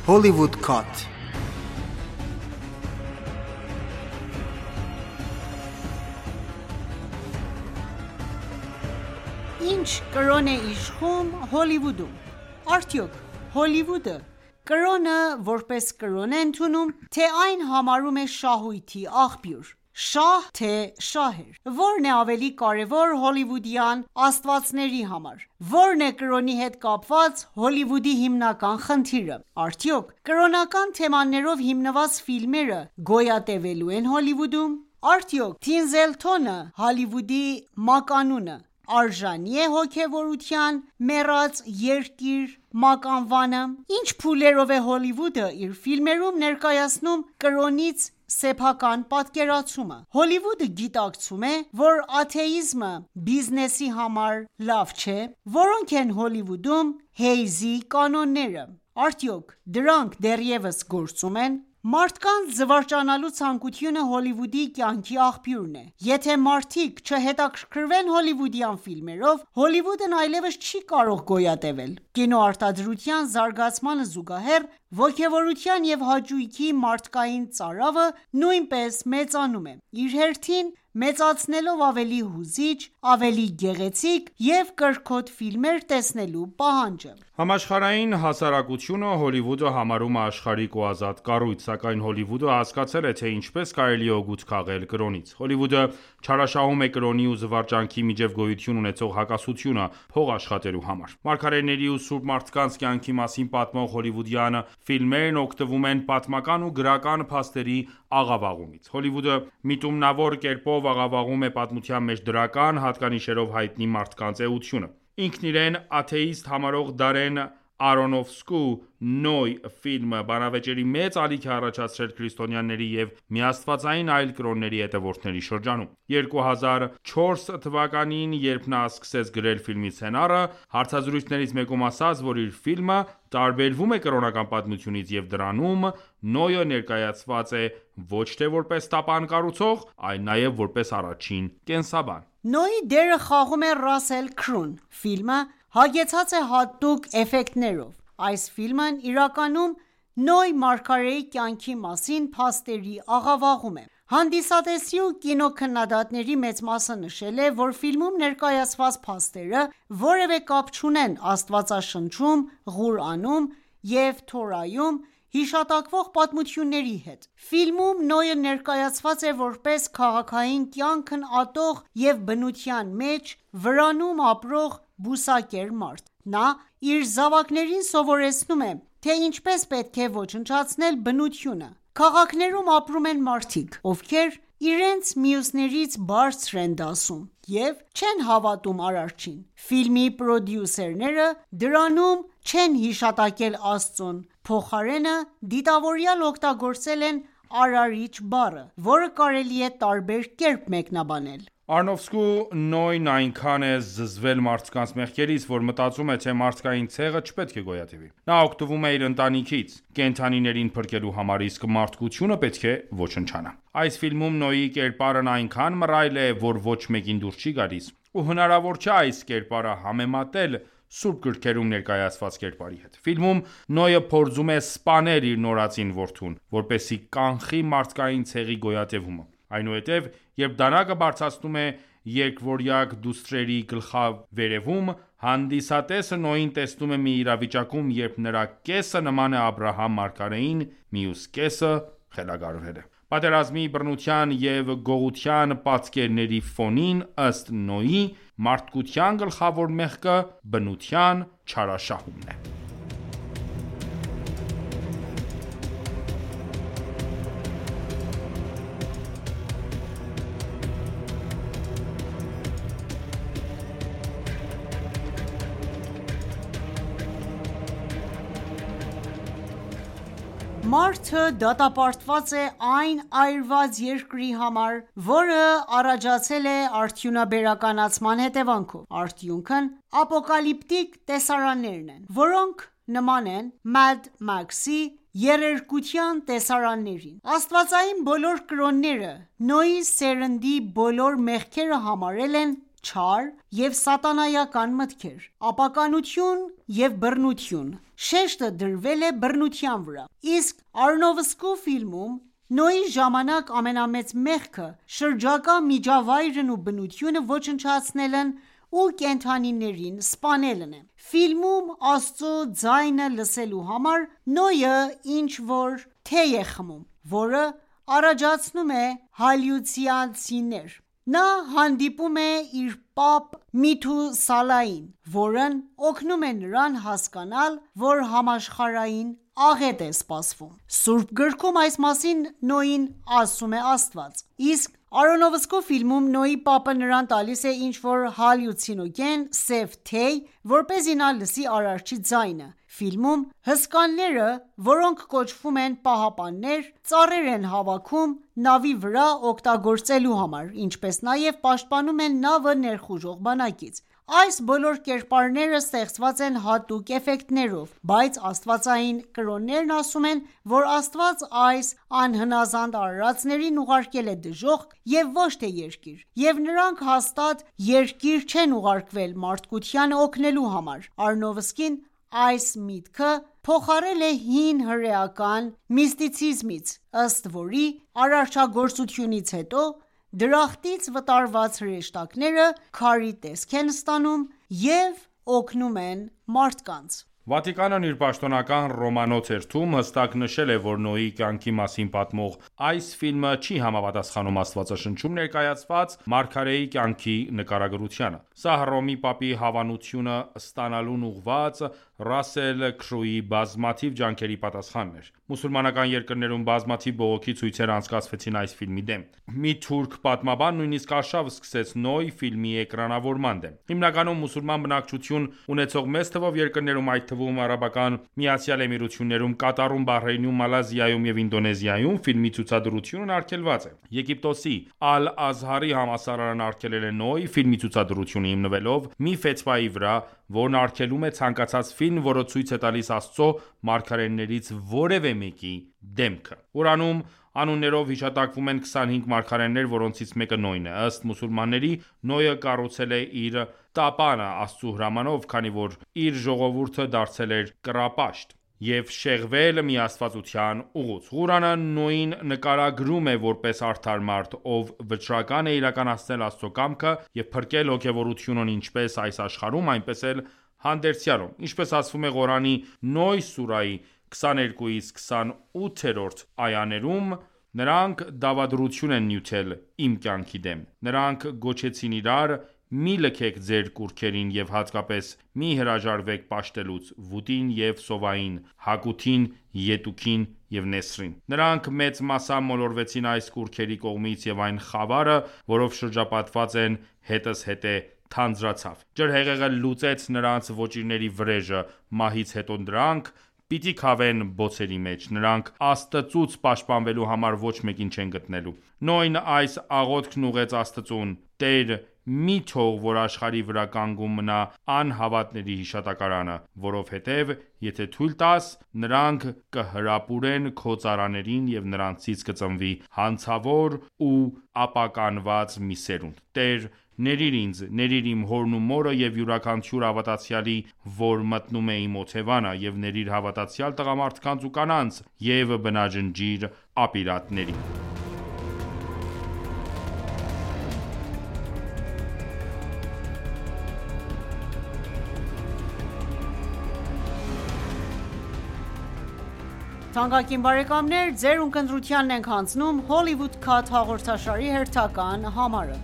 Hollywood Cut Ինչ կրոն է իշխում Հոլիվուդում: Արդյոք Հոլիվուդը կրոնը որպես կրոն է ընդունում, թե այն համարում է շահույթի աղբյուր: Շահ թե շահեր: Ո՞րն է ավելի կարևոր հոլիվուդյան աստվածների համար: Ո՞րն է կրոնի հետ կապված Հոլիվուդի հիմնական խնդիրը: Արդյոք կրոնական թեմաներով հիմնված ֆիլմերը գոյատևելո՞ւ են Հոլիվուդում: Արդյոք Թինզելթոնը, Հոլիվուդի մականունը, արժանի՞ է հոգևորության մեռած երկիր մականվանը: Ինչ փուլերով է Հոլիվուդը իր ֆիլմերում ներկայացնում կրոնից սեփական պատկերացումը: Հոլիվուդը գիտակցում է, որ աթեիզմը բիզնեսի համար լավ չէ: Որո՞նք են Հոլիվուդում Հեյզի կանոնները: Արդյոք դրանք դեռևս գործում են: Մարդկանց զվարճանալու ցանկությունը Հոլիվուդի կյանքի աղբյուրն է: Եթե մարդիկ չհետաքրքրվեն հոլիվուդյան ֆիլմերով, Հոլիվուդն այլևս չի կարող գոյատևել: Կինոարտադրության զարգացմանը զուգահեռ, ոգևորության և հաճույքի մարդկային ծարավը նույնպես մեծանում է, իր հերթին մեծացնելով ավելի հուզիչ, ավելի գեղեցիկ և կրքոտ ֆիլմեր տեսնելու պահանջը: Համաշխարհային հասարակությունը Հոլիվուդը համարում է աշխարհիկ ու ազատ կառույց: Սակայն Հոլիվուդը հասկացել է, թե ինչպես կարելի է օգուտ քաղել կրոնից: Հոլիվուդը չարաշահում է կրոնի ու զվարճանքի միջև գոյություն ունեցող հակասությունը փող աշխատելու համար: Մարգարեների ու սուրբ մարդկանց կյանքի մասին պատմող հոլիվուդյան ֆիլմերն օգտվում են պատմական ու գրական փաստերի աղավաղումից: Հոլիվուդը միտումնավոր կերպով աղավաղում է պատմության մեջ դրական հատկանիշերով հայտնի մարդկանց էությունը: Ինքն իրեն աթեիստ համարող Դարեն Արոնոֆսկու «Նոյ» ֆիլմը բանավեճերի մեծ ալիք է առաջացրել քրիստոնյաների և միաստվածային այլ կրոնների հետևորդների շրջանում: 2004 թվականին, երբ նա սկսեց գրել ֆիլմի սցենարը, հարցազրույցներից մեկում ասաց, որ իր ֆիլմը տարբերվում է կրոնական պատմությունից և դրանում Նոյը ներկայացված է ոչ թե որպես տապան կառուցող, այլ նաև որպես առաջին կենսաբան: Նոյի դերը խաղում է Ռասել Քրուն: Ֆիլմը հագեցած է հատուկ էֆեկտներով: Այս ֆիլմն իրականում Նոյ մարգարեի կյանքի մասին փաստերի աղավաղում է: Հանդիսատեսի ու կինոքննադատների մեծ մասը նշել է, որ ֆիլմում ներկայացված փաստերը որևէ կապ չունեն Աստվածաշնչում, Ղուրանում և Թորայում հիշատակվող պատմությունների հետ: Ֆիլմում Նոյը ներկայացված է որպես քաղաքային կյանքն ատող և բնության մեջ վրանում ապրող բուսակեր մարդ: Նա իր զավակներին սովորեցնում է, թե ինչպես պետք է ոչնչացնել բնությունը: Քաղաքներում ապրում են մարդիկ, ովքեր իրենց մյուսներից բարձր են դասում և չեն հավատում Արարչին: Ֆիլմի պրոդյուսերները դրանում չեն հիշատակել Աստծուն, փոխարենը դիտավորյալ օգտագործել են Արարիչ բառը, որը կարելի է տարբեր կերպ մեկնաբանել: Արոնոֆսկու Նոյն այնքան է զզվել մարդկանց մեղքերից, որ մտածում է, թե մարդկային ցեղը չպետք է գոյատևի: Նա օգտվում է իր ընտանիքից, կենդանիներին փրկելու համար, իսկ մարդկությունը պետք է ոչնչանա: Այս ֆիլմում Նոյի կերպարն այնքան մռայլ է, որ ոչ մեկին դուր չի գալիս ու հնարավոր չէ այս կերպարը համեմատել սուրբ գրքերում ներկայացված կերպարի հետ: Ֆիլմում Նոյը փորձում է սպանել իր նորածին որդուն, որպեսզի կանխի մարդկային ցեղի գոյատևումը: Այնուհետև երբ դանակը բարձրացնում է երկվորյակ դուստրերի գլխավերևում, հանդիսատեսը Նոյին տեսնում է մի իրավիճակում, երբ նրա կեսը նման է Աբրահամ մարգարեին, մյուս կեսը խելագարվել է: Պատերազմի, բռնության և գողության պատկերների ֆոնին, ըստ Նոյի, մարդկության գլխավոր մեղքը բնության չարաշահումն է: Մարդը դատապարտված է այն այրված երկրի համար, որը առաջացել է արդյունաբերականացման հետևանքով: Արդյունքն ապոկալիպտիկ տեսարաններն են, որոնք նման են Mad Max-ի երերկության տեսարաններին: Աստվածային բոլոր կրոնները Նոյի սերնդի բոլոր մեղքերը համարել են չար և սատանայական մտքեր, ապականություն և բռնություն: Շեշտը դրվել է բռնության վրա: Իսկ Արոնոֆսկու ֆիլմում Նոյի ժամանակ ամենամեծ մեղքը շրջակա միջավայրն ու բնությունը ոչնչացնելն ու կենդանիներին սպանելն է: Ֆիլմում Աստծո ձայնը լսելու համար Նոյը ինչ-որ թեյ է խմում, որը առաջացնում է հալյուցիացիաներ: Նա հանդիպում է իր պապ Միթուսալային, որն օգնում է նրան հասկանալ, որ համաշխարհային աղետ է սպասվում: Սուրբ գրքում այս մասին Նոյին ասում է Աստված: Իսկ Արոնոֆսկու ֆիլմում Նոյի պապը նրան տալիս է ինչ-որ հալյուցինոգեն սև թեյ, որպեսզի նա լսի Արարչի ձայնը: Ֆիլմում հսկաները, որոնք կոչվում են պահապաններ, ծառեր են հավաքում նավի վրա օգտագործելու համար, ինչպես նաև պաշտպանում են նավը ներխուժող բանակից: Այս բոլոր կերպարները ստեղծված են հատուկ էֆեկտներով, բայց աստվածային կրոններն ասում են, որ Աստված այս անհնազանդ արարածներին ուղարկել է դժոխք և ոչ թե երկիր, և նրանք հաստատ երկիր չեն ուղարկվել մարդկությանը օգնելու համար: Արոնոֆսկին այս միտքը փոխարել է հին հրեական միստիցիզմից, ըստ որի արարչագործությունից հետո դրախտից վտարված հրեշտակները քարի տեսք են ստանում և օգնում են մարդկանց: Վատիկանն իր պաշտոնական Ռոմանո թերթում հստակ նշել է, որ Նոյի կյանքի մասին պատմող այս ֆիլմը չի համապատասխանում Աստվածաշնչում ներկայացված մարգարեի կյանքի նկարագրությանը: Սա Հռոմի պապի հավանությունը ստանալուն ուղղված Ռասել Քրոուի բազմաթիվ ջանքերի պատասխանն էր: Մուսուլմանական երկրներում բազմաթիվ բողոքի ցույցեր անցկացվեցին այս ֆիլմի դեմ: Մի թուրք պատմաբան նույնիսկ արշավ սկսեց Նոյ ֆիլմի էկրանավորման դեմ: Հիմնականում մուսուլման բնակչություն ունեցող մեծ թվով երկրներում, այդ թվում ԱՄԷ-ում, Կատարում, Բահրեյնում, Մալայզիայում և Ինդոնեզիայում ֆիլմի ցուցադրությունն արգելված է: Եգիպտոսի Ալ-Ազհարի համալսարանն արգելել է Նոյ ֆիլմի ցուցադրությունը, հիմնվելով մի ֆեթվայի վրա, որն արգելում է ցանկացած ֆիլմ, որը ցույց է տալիս Աստծո մարգարեներից որևէ մեկի դեմքը: Ղուրանում անուններով հիշատակվում են 25 մարգարեներ, որոնցից մեկը Նոյն է: Ըստ մուսուլմանների Նոյը կառուցել է իր տապանը Աստծու հրամանով, քանի որ իր ժողովուրդը դարձել էր կռապաշտ և շեղվել միաստվածության ուղուց: Ղուրանը Նոյին նկարագրում է որպես արդար մարդ, ով վճռական է իրականացնել Աստծո կամքը և փրկել հոգևորությունն ինչպես այս աշխարհում, այնպես էլ հանդերձյալում: Ինչպես ասվում է Ղուրանի Նոյ սուրահի 22-28-րդ այաներում. Նրանք դավադրություն են նյութել իմ կյանքի դեմ: Նրանք գոչեցին իրար. «Մի լքեք ձեր կուռքերին և հատկապես մի հրաժարվեք պաշտելուց Վուտին և Սովային, Հակութին, Ետուքին և Նեսրին: Նրանք մեծ մասամբ մոլորվեցին այս կուռքերի կողմից և այն խավարը, որով շրջապատված են, հետզհետե թանձրացավ: Ջրհեղեղը լուծեց նրանց ոճիրների վրեժը: Մահից հետո նրանք պիտի քավեն բոցերի մեջ: Նրանք Աստծուց պաշտպանվելու համար ոչ մեկին չեն գտնելու: Նոյն այս աղոթքն ուղղեց Աստծուն. «Տեր մի թող որ աշխարհի վրա կանգուն մնա անհավատների հիշատակարանը, որովհետև եթե թույլ տաս, նրանք կհրապուրեն քո ծառաներին և նրանցից կծնվի հանցավոր ու ապականված մի սերունդ: Տեր ներիր ինձ, ներիր իմ հորն ու մորը և յուրաքանչյուր հավատացյալի, որ մտնում է իմ օթևանը, և ներիր հավատացյալ տղամարդկանց ու կանանց և բնաջնջիր ապիրատներին»: Hollywood Cut հաղորդաշարի հերթական համարը: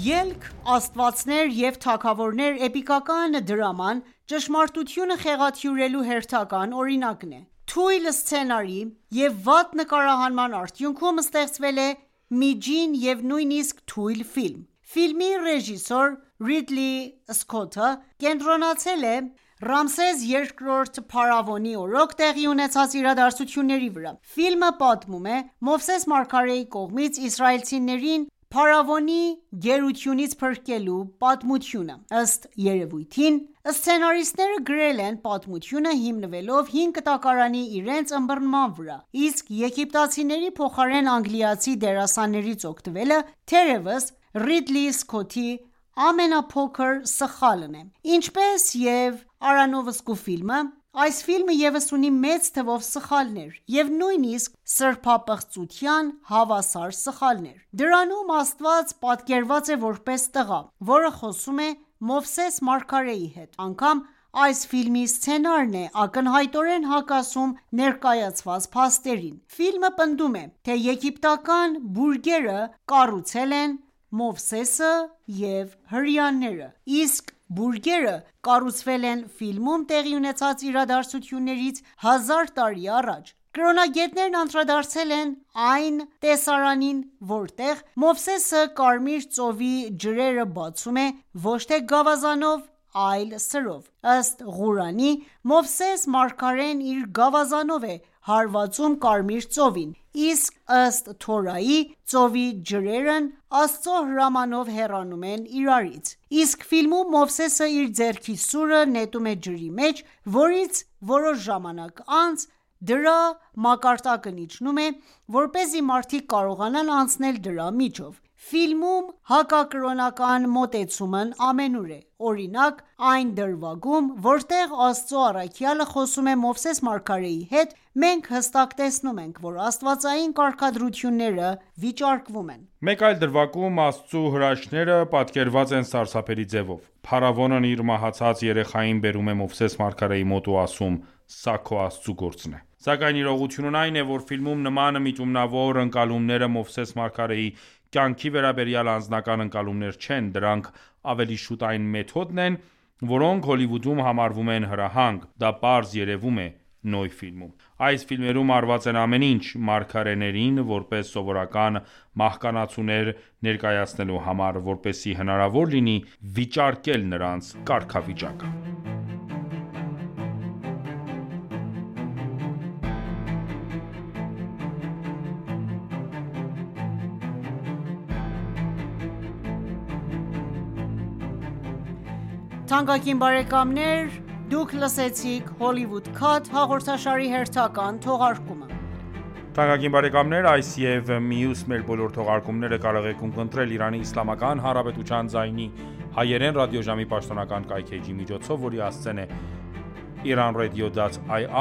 Ելք «Աստվածներ և թագավորներ» էպիկական դրաման ճշմարտությունը խեղաթյուրելու հերթական օրինակն է: Թույլ սցենարի և վատ նկարահանման արդյունքում ստեղծվել է միջին և նույնիսկ թույլ ֆիլմ: Ֆիլմի ռեժիսոր Ռիդլի Սքոթը կենտրոնացել է Ռամսես II փարավոնի օրոք տեղի ունեցած իրադարձությունների վրա։ Ֆիլմը պատմում է Մովսես մարգարեի կողմից իսրայելցիներին փարավոնի գերությունից փրկելու պատմությունը։ Ըստ երևույթին, սցենարիստները գրել են պատմությունը հիմնվելով հին կտակարանի իրենց ըմբռնման վրա, իսկ եգիպտացիների փոխարեն անգլիացի դերասաններից օգտվելը թերևս Ռիդլի Սքոթի ամենափոքր սխալն է։ Ինչպես և Արոնոֆսկու ֆիլմը, այս ֆիլմը ևս ունի մեծ թվով սխալներ և նույնիսկ սրբապղծության հավասար սխալներ։ Դրանում Աստված պատկերված է որպես տղա, որը խոսում է Մովսես մարգարեի հետ, անգամ այս ֆիլմի սցենարն է ակնհայտորեն հակասում ներկայացված փաստերին։ Ֆիլմը պնդում է, թե եգիպտական բուրգերը կառուցել են Մովսեսը և հրեաները, իսկ բուրգերը կառուցվել են ֆիլմում տեղի ունեցած իրադարձություններից 1000 տարի առաջ։ Կրոնագետներն անդրադարձել են այն տեսարանին, որտեղ Մովսեսը Կարմիր ծովի ջրերը բացում է ոչ թե գավազանով, այլ սրով։ Ըստ Ղուրանի, Մովսես մարգարեն իր գավազանով է հարվածում Կարմիր ծովին, իսկ ըստ Թորայի, ծովի ջրերն Աստծո հրամանով հեռանում են իրարից։ Իսկ ֆիլմում Մովսեսը իր ձեռքի սուրը նետում է ջրի մեջ, որից որոշ ժամանակ անց դրա մակարդակն իջնում է, որպեսզի մարդիկ կարողանան անցնել դրա միջով։ Ֆիլմում հակակրոնական մոտեցումն ամենուր է։ Օրինակ, այն դրվագում, որտեղ Աստծո առաքյալը խոսում է Մովսես մարգարեի հետ, մենք հստակ տեսնում ենք, որ աստվածային կարգադրությունները վիճարկվում են։ Մեկ այլ դրվագում Աստծու հրաշքները պատկերված են սարսափելի ձևով։ Փարավոնն իր մահացած երեխային բերում է Մովսես մարգարեի մոտ ու ասում. «Սա քո Աստծու գործն է»։ Սակայն իրողությունն այն է, որ ֆիլմում նման միտումնավոր ընկալումները Մովսես մարգարեի կյանքի վերաբերյալ անձնական ընկալումներ չեն, դրանք ավելի շուտ այն մեթոդն են, որոնք Հոլիվուդում համարվում են հրահանգ, դա պարզ երևում է Նոյ ֆիլմում։ Այս ֆիլմերում արված են ամեն ինչ մարգարեներին որպես սովորական մահկանացուներ ներկայացնելու համար, որպեսզի հնարավոր լինի վիճարկել նրանց կարգավիճակը։ Թանկագին բարեկամներ, դուք լսեցիք Hollywood Cut հաղորդաշարի հերթական թողարկումը։ Թանկագին բարեկամներ, այս և մյուս մեր բոլոր թողարկումները կարող եք ունկնդրել Իրանի Իսլամական Հանրապետության ձայնի հայերեն ռադիոժամի պաշտոնական կայքէջի միջոցով, որի հասցեն է iranradio.ir/hy